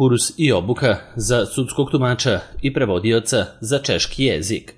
Kurs i obuka za sudskog tumača i prevodioca za češki jezik.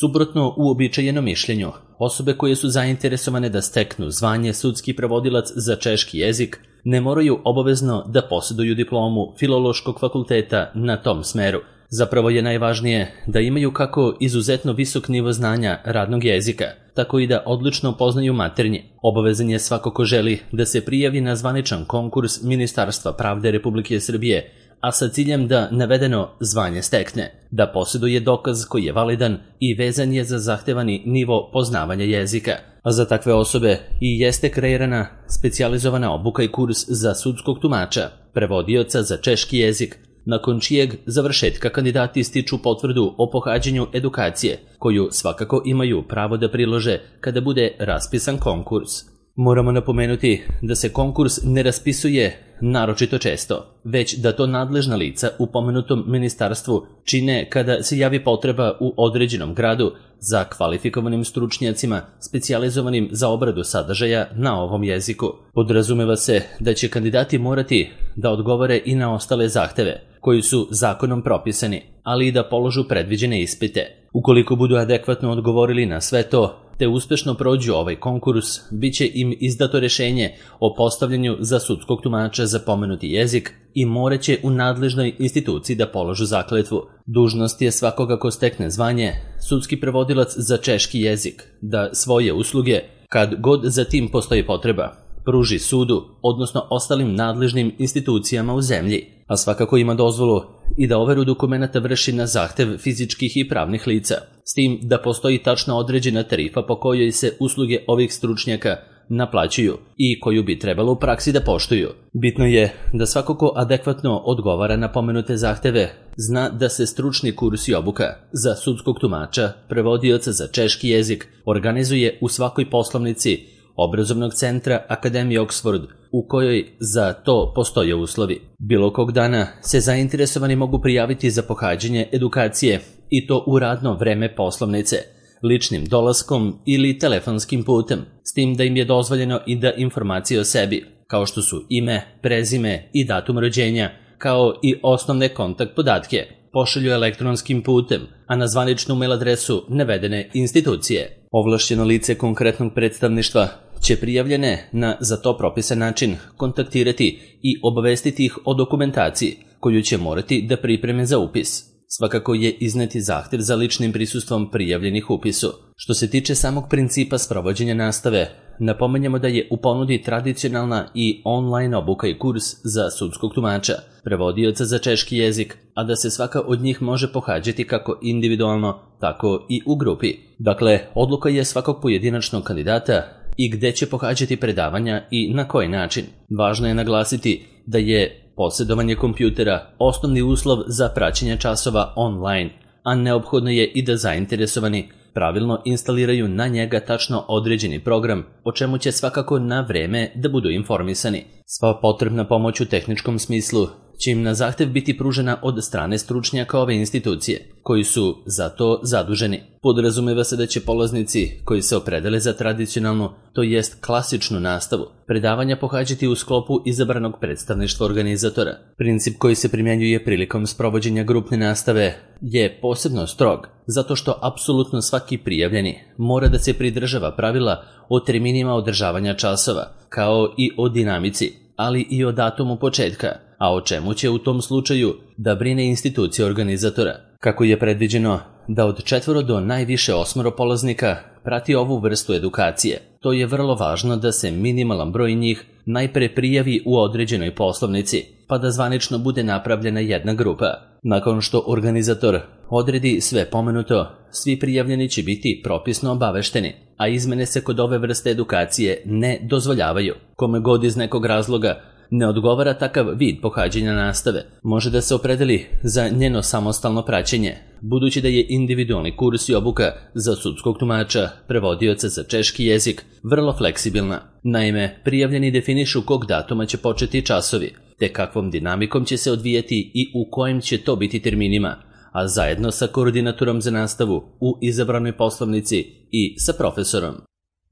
Suprotno uobičajenom mišljenju, osobe koje su zainteresovane da steknu zvanje sudski prevodilac za češki jezik ne moraju obavezno da posjeduju diplomu Filološkog fakulteta na tom smeru. Zapravo je najvažnije da imaju kako izuzetno visok nivo znanja radnog jezika, tako i da odlično poznaju maternji. Obavezan je svako ko želi da se prijavi na zvaničan konkurs Ministarstva pravde Republike Srbije, a sa ciljem da navedeno zvanje stekne, da posjeduje dokaz koji je validan i vezan je za zahtevani nivo poznavanja jezika. A za takve osobe i jeste kreirana specijalizovana obuka i kurs za sudskog tumača, prevodioca za češki jezik, nakon čijeg završetka kandidati stiču potvrdu o pohađanju edukacije, koju svakako imaju pravo da prilože kada bude raspisan konkurs. Moramo napomenuti da se konkurs ne raspisuje naročito često, već da to nadležna lica u pomenutom ministarstvu čine kada se javi potreba u određenom gradu za kvalifikovanim stručnjacima specijalizovanim za obradu sadržaja na ovom jeziku. Podrazumeva se da će kandidati morati da odgovore i na ostale zahteve koji su zakonom propisani, ali i da položu predviđene ispite. Ukoliko budu adekvatno odgovorili na sve to, te uspešno prođu ovaj konkurs, bit će im izdato rešenje o postavljanju za sudskog tumača za pomenuti jezik i moraće u nadležnoj instituciji da položu zakletvu. Dužnost je svakoga ko stekne zvanje sudski prevodilac za češki jezik da svoje usluge, kad god za tim postoji potreba, pruži sudu, odnosno ostalim nadležnim institucijama u zemlji, a svakako ima dozvolu i da overu dokumenata vrši na zahtev fizičkih i pravnih lica, s tim da postoji tačno određena tarifa po kojoj se usluge ovih stručnjaka naplaćuju i koju bi trebalo u praksi da poštuju. Bitno je da svako ko adekvatno odgovara na pomenute zahteve zna da se stručni kurs i obuka za sudskog tumača, prevodioca za češki jezik organizuje u svakoj poslovnici obrazovnog centra Akademije Oxford, u kojoj za to postoje uslovi. Bilo kog dana se zainteresovani mogu prijaviti za pohađanje edukacije i to u radno vreme poslovnice, ličnim dolaskom ili telefonskim putem, s tim da im je dozvoljeno i da informacije o sebi, kao što su ime, prezime i datum rođenja, kao i osnovne kontakt podatke, pošalju elektronskim putem, a na zvaničnu mail adresu navedene institucije. Ovlašćeno lice konkretnog predstavništva će prijavljene na za to propisan način kontaktirati i obavestiti ih o dokumentaciji koju će morati da pripreme za upis. Svakako je izneti zahtev za ličnim prisustvom prijavljenih upisu. Što se tiče samog principa sprovođenja nastave, napomenjamo da je u ponudi tradicionalna i online obuka i kurs za sudskog tumača, prevodioca za češki jezik, a da se svaka od njih može pohađati kako individualno, tako i u grupi. Dakle, odluka je svakog pojedinačnog kandidata i gde će pohađati predavanja i na koji način. Važno je naglasiti da je posjedovanje kompjutera osnovni uslov za praćenje časova online, a neophodno je i da zainteresovani pravilno instaliraju na njega tačno određeni program, o čemu će svakako na vreme da budu informisani. Sva potrebna pomoć u tehničkom smislu će im na zahtev biti pružena od strane stručnjaka ove institucije, koji su za to zaduženi. Podrazumeva se da će polaznici koji se opredele za tradicionalnu, to jest klasičnu nastavu, predavanja pohađati u sklopu izabranog predstavništva organizatora. Princip koji se primjenjuje prilikom sprovođenja grupne nastave je posebno strog, zato što apsolutno svaki prijavljeni mora da se pridržava pravila o terminima održavanja časova, kao i o dinamici, ali i o datumu početka, a o čemu će u tom slučaju da brine institucija organizatora. Kako je predviđeno da od 4 do najviše 8 polaznika prati ovu vrstu edukacije, to je vrlo važno da se minimalan broj njih najpre prijavi u određenoj poslovnici, pa da zvanično bude napravljena jedna grupa. Nakon što organizator odredi sve pomenuto, svi prijavljeni će biti propisno obavešteni, a izmene se kod ove vrste edukacije ne dozvoljavaju. Kome god iz nekog razloga ne odgovara takav vid pohađanja nastave, može da se opredeli za njeno samostalno praćenje, budući da je individualni kurs i obuka za sudskog tumača, prevodioca za češki jezik, vrlo fleksibilna. Naime, prijavljeni definišu kog datuma će početi časovi, te kakvom dinamikom će se odvijati i u kojim će to biti terminima, a zajedno sa koordinatorom za nastavu u izabranoj poslovnici i sa profesorom.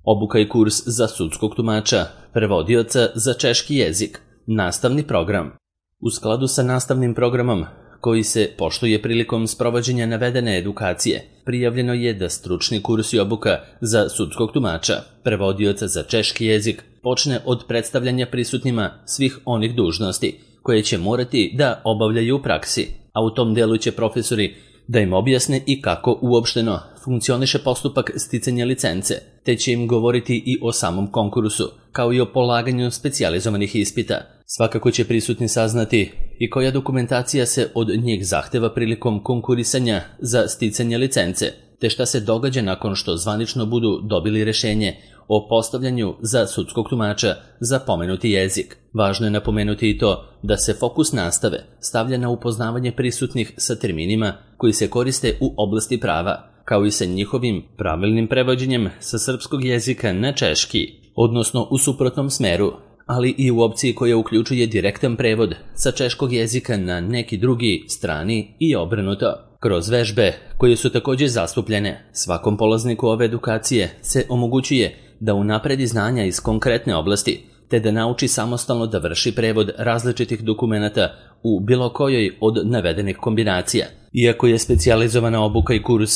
Obuka i kurs za sudskog tumača, prevodioca za češki jezik, nastavni program. U skladu sa nastavnim programom koji se poštuje prilikom sprovođenja navedene edukacije, prijavljeno je da stručni kurs i obuka za sudskog tumača, prevodioca za češki jezik, počne od predstavljanja prisutnima svih onih dužnosti koje će morati da obavljaju u praksi, a u tom delu će profesori da im objasne i kako uopšteno funkcioniše postupak sticanja licence, te će im govoriti i o samom konkursu, kao i o polaganju specijalizovanih ispita. Svakako će prisutni saznati i koja dokumentacija se od njih zahteva prilikom konkurisanja za sticanje licence, te šta se događa nakon što zvanično budu dobili rešenje o postavljanju za sudskog tumača za pomenuti jezik. Važno je napomenuti i to da se fokus nastave stavlja na upoznavanje prisutnih sa terminima koji se koriste u oblasti prava, kao i sa njihovim pravilnim prevođenjem sa srpskog jezika na češki, odnosno u suprotnom smeru, ali i u opciji koja uključuje direktan prevod sa češkog jezika na neki drugi strani i obrnuto. Kroz vežbe, koje su također zastupljene, svakom polazniku ove edukacije se omogućuje da unapredi znanja iz konkretne oblasti, te da nauči samostalno da vrši prevod različitih dokumenata u bilo kojoj od navedenih kombinacija. Iako je specijalizovana obuka i kurs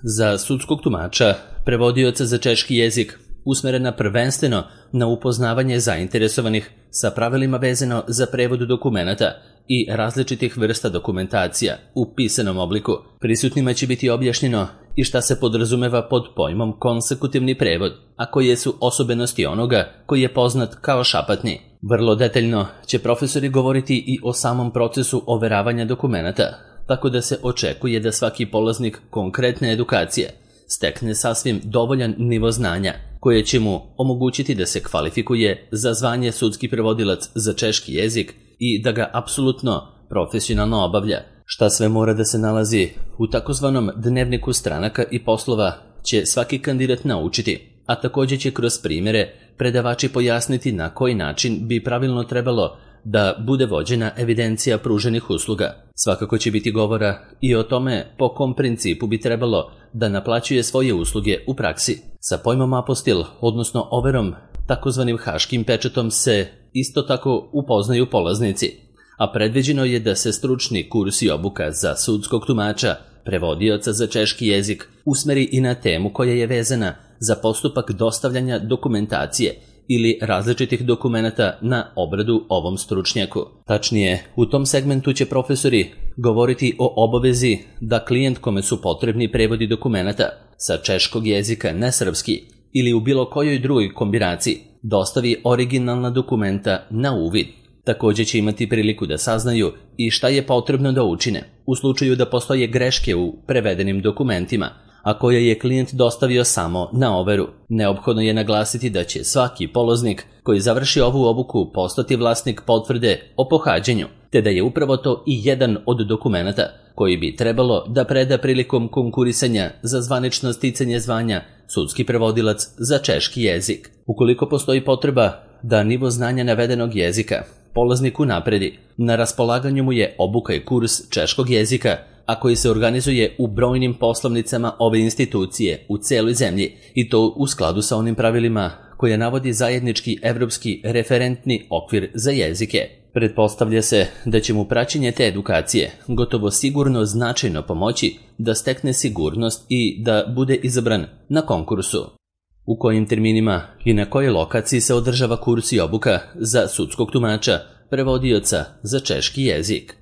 za sudskog tumača, prevodioca za češki jezik, usmerena prvenstveno na upoznavanje zainteresovanih sa pravilima vezano za prevod dokumenata i različitih vrsta dokumentacija u pisanom obliku. Prisutnima će biti objašnjeno i šta se podrazumeva pod pojmom konsekutivni prevod, a koje su osobenosti onoga koji je poznat kao šapatni. Vrlo detaljno će profesori govoriti i o samom procesu overavanja dokumenata, tako da se očekuje da svaki polaznik konkretne edukacije stekne sasvim dovoljan nivo znanja, koje će mu omogućiti da se kvalifikuje za zvanje sudski prevodilac za češki jezik i da ga apsolutno profesionalno obavlja. Šta sve mora da se nalazi u takozvanom dnevniku stranaka i poslova će svaki kandidat naučiti, a također će kroz primjere predavači pojasniti na koji način bi pravilno trebalo da bude vođena evidencija pruženih usluga. Svakako će biti govora i o tome po kom principu bi trebalo da naplaćuje svoje usluge u praksi. Sa pojmom apostil, odnosno overom, takozvanim haškim pečatom, se isto tako upoznaju polaznici, a predviđeno je da se stručni kurs i obuka za sudskog tumača, prevodioca za češki jezik, usmeri i na temu koja je vezana za postupak dostavljanja dokumentacije ili različitih dokumenata na obradu ovom stručnjaku. Tačnije, u tom segmentu će profesori govoriti o obavezi da klijent kome su potrebni prevodi dokumenata sa češkog jezika na srpski ili u bilo kojoj drugoj kombinaciji dostavi originalna dokumenta na uvid. Također će imati priliku da saznaju i šta je potrebno da učine u slučaju da postoje greške u prevedenim dokumentima, a koje je klijent dostavio samo na overu. Neophodno je naglasiti da će svaki polaznik koji završi ovu obuku postati vlasnik potvrde o pohađanju, te da je upravo to i jedan od dokumenata koji bi trebalo da preda prilikom konkurisanja za zvanično sticanje zvanja sudski prevodilac za češki jezik. Ukoliko postoji potreba da nivo znanja navedenog jezika polaznik unapredi, na raspolaganju mu je obuka i kurs češkog jezika, a koji se organizuje u brojnim poslovnicama ove institucije u celoj zemlji, i to u skladu sa onim pravilima koje navodi zajednički evropski referentni okvir za jezike. Pretpostavlja se da će mu praćenje te edukacije gotovo sigurno značajno pomoći da stekne sigurnost i da bude izabran na konkursu. U kojim terminima i na kojoj lokaciji se održava kurs i obuka za sudskog tumača, prevodioca za češki jezik.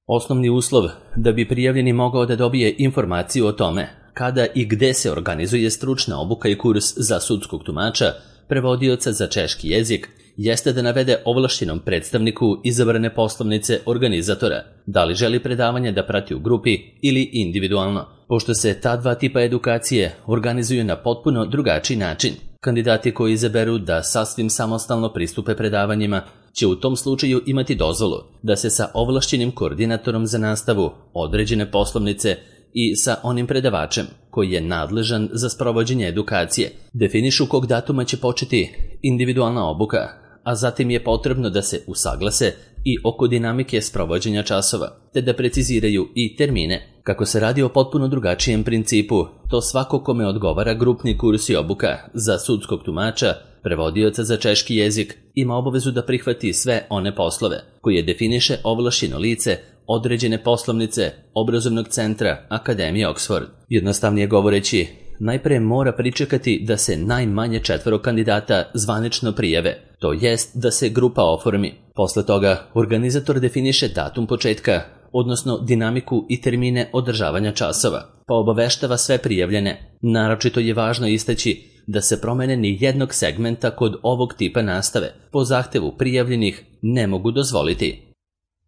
Osnovni uslov da bi prijavljeni mogao da dobije informaciju o tome kada i gde se organizuje stručna obuka i kurs za sudskog tumača, prevodioca za češki jezik, jeste da navede ovlašćenom predstavniku izabrane poslovnice organizatora, da li želi predavanje da prati u grupi ili individualno, pošto se ta dva tipa edukacije organizuju na potpuno drugačiji način. Kandidati koji izaberu da sasvim samostalno pristupe predavanjima će u tom slučaju imati dozvolu da se sa ovlašćenim koordinatorom za nastavu određene poslovnice i sa onim predavačem koji je nadležan za sprovođenje edukacije definišu kog datuma će početi individualna obuka, a zatim je potrebno da se usaglase i oko dinamike sprovođenja časova, te da preciziraju i termine. Kako se radi o potpuno drugačijem principu, to svako kome odgovara grupni kurs i obuka za sudskog tumača, prevodioca za češki jezik ima obavezu da prihvati sve one poslove koje definiše ovlašćeno lice određene poslovnice obrazovnog centra Akademije Oxford. Jednostavnije govoreći, najpre mora pričekati da se najmanje 4 kandidata zvanično prijave, to jest da se grupa oformi. Posle toga organizator definiše datum početka, odnosno dinamiku i termine održavanja časova, pa obaveštava sve prijavljene. Naročito je važno istaći da se promene ni jednog segmenta kod ovog tipa nastave po zahtevu prijavljenih ne mogu dozvoliti.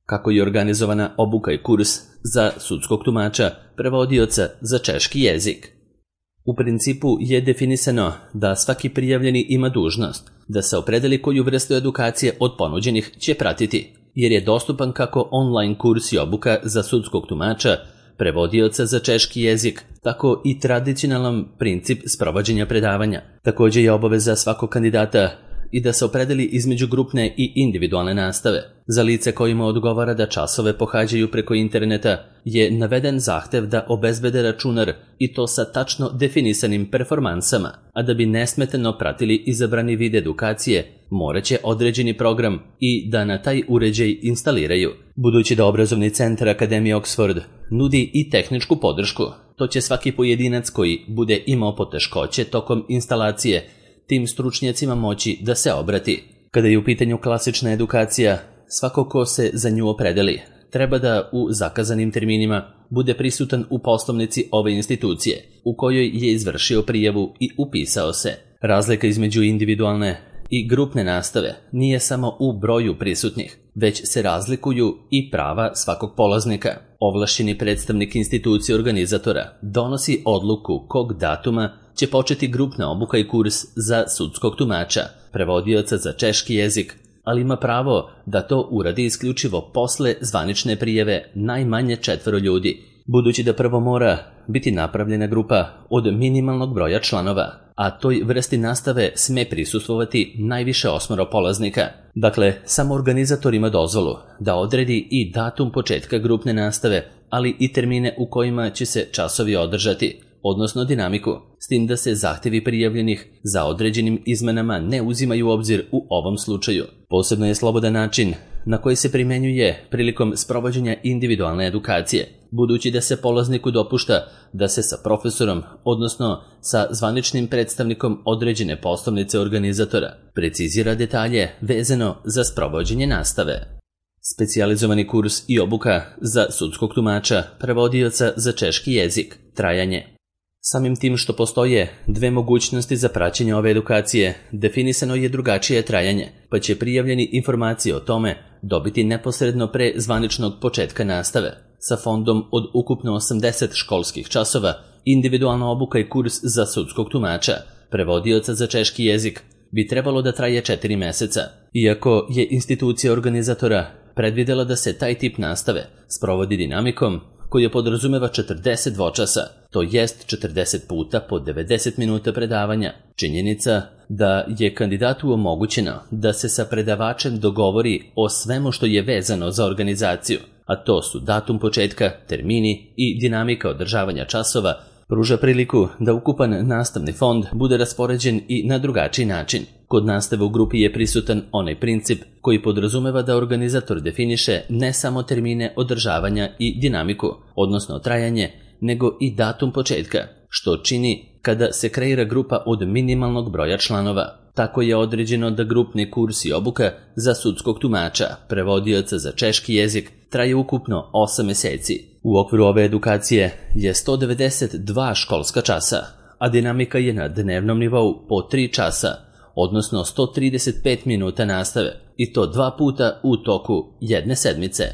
Kako je organizovana obuka i kurs za sudskog tumača, prevodioca za češki jezik? U principu je definisano da svaki prijavljeni ima dužnost da se opredeli koju vrstu edukacije od ponuđenih će pratiti, jer je dostupan kako online kurs i obuka za sudskog tumača, prevodioca za češki jezik, tako i tradicionalan princip sprovođenja predavanja. Također je obaveza svakog kandidata i da se opredeli između grupne i individualne nastave. Za lice kojima odgovara da časove pohađaju preko interneta je naveden zahtev da obezbede računar i to sa tačno definisanim performansama, a da bi nesmetano pratili izabrani vid edukacije, moraće određeni program i da na taj uređaj instaliraju. Budući da obrazovni centar Akademije Oxford nudi i tehničku podršku, to će svaki pojedinac koji bude imao poteškoće tokom instalacije tim stručnjacima moći da se obrati. Kada je u pitanju klasična edukacija, svako ko se za nju opredeli treba da u zakazanim terminima bude prisutan u poslovnici ove institucije u kojoj je izvršio prijavu i upisao se. Razlika između individualne i grupne nastave nije samo u broju prisutnih, već se razlikuju i prava svakog polaznika. Ovlašćeni predstavnik institucije organizatora donosi odluku kog datuma će početi grupna obuka i kurs za sudskog tumača, prevodioca za češki jezik, ali ima pravo da to uradi isključivo posle zvanične prijave najmanje 4 ljudi, budući da prvo mora biti napravljena grupa od minimalnog broja članova, a toj vrsti nastave sme prisustvovati najviše 8 polaznika. Dakle, samo organizator ima dozvolu da odredi i datum početka grupne nastave, ali i termine u kojima će se časovi održati, odnosno dinamiku, s tim da se zahtevi prijavljenih za određenim izmenama ne uzimaju u obzir u ovom slučaju. Posebno je slobodan način na koji se primenjuje prilikom sprovođenja individualne edukacije, budući da se polazniku dopušta da se sa profesorom, odnosno sa zvaničnim predstavnikom određene poslovnice organizatora, precizira detalje vezano za sprovođenje nastave. Specijalizovani kurs i obuka za sudskog tumača, prevodioca za češki jezik, trajanje. Samim tim što postoje 2 mogućnosti za praćenje ove edukacije, definisano je drugačije trajanje, pa će prijavljeni informacije o tome dobiti neposredno pre zvaničnog početka nastave. Sa fondom od ukupno 80 školskih časova, individualna obuka i kurs za sudskog tumača, prevodioca za češki jezik, bi trebalo da traje 4 meseca. Iako je institucija organizatora predvidela da se taj tip nastave sprovodi dinamikom, koja podrazumeva 40 dvočasa, to jest 40 puta po 90 minuta predavanja. Činjenica da je kandidatu omogućeno da se sa predavačem dogovori o svemu što je vezano za organizaciju, a to su datum početka, termini i dinamika održavanja časova, pruža priliku da ukupan nastavni fond bude raspoređen i na drugačiji način. Kod nastave u grupi je prisutan onaj princip koji podrazumeva da organizator definiše ne samo termine održavanja i dinamiku, odnosno trajanje, nego i datum početka, što čini kada se kreira grupa od minimalnog broja članova. Tako je određeno da grupni kurs i obuka za sudskog tumača, prevodioca za češki jezik, traje ukupno 8 meseci. U okviru ove edukacije je 192 školska časa, a dinamika je na dnevnom nivou po 3 časa, odnosno 135 minuta nastave, i to 2 puta u toku jedne sedmice.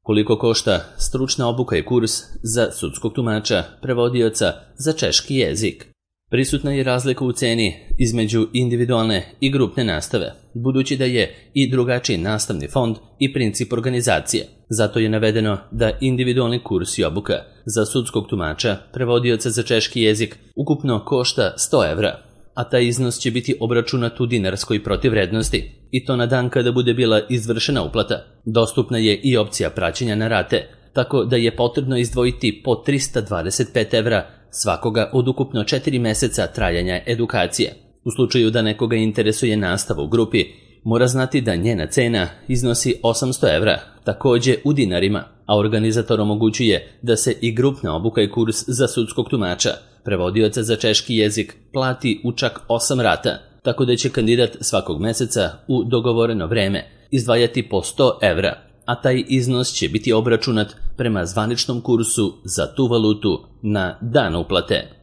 Koliko košta stručna obuka i kurs za sudskog tumača, prevodioca za češki jezik? Prisutna je razlika u ceni između individualne i grupne nastave, budući da je i drugačiji nastavni fond i princip organizacije. Zato je navedeno da individualni kurs i obuka za sudskog tumača, prevodioca za češki jezik, ukupno košta 100 evra, a taj iznos će biti obračunat u dinarskoj protivvrednosti, i to na dan kada bude bila izvršena uplata. Dostupna je i opcija praćenja na rate, tako da je potrebno izdvojiti po 325 evra svakoga od ukupno 4 meseca trajanja edukacije. U slučaju da nekoga interesuje nastava u grupi, mora znati da njena cena iznosi 800 evra, također u dinarima, a organizator omogućuje da se i grupna obuka i kurs za sudskog tumača, prevodioca za češki jezik, plati u čak 8 rata, tako da će kandidat svakog meseca u dogovoreno vreme izdvajati po 100 evra, a taj iznos će biti obračunat prema zvaničnom kursu za tu valutu na dan uplate.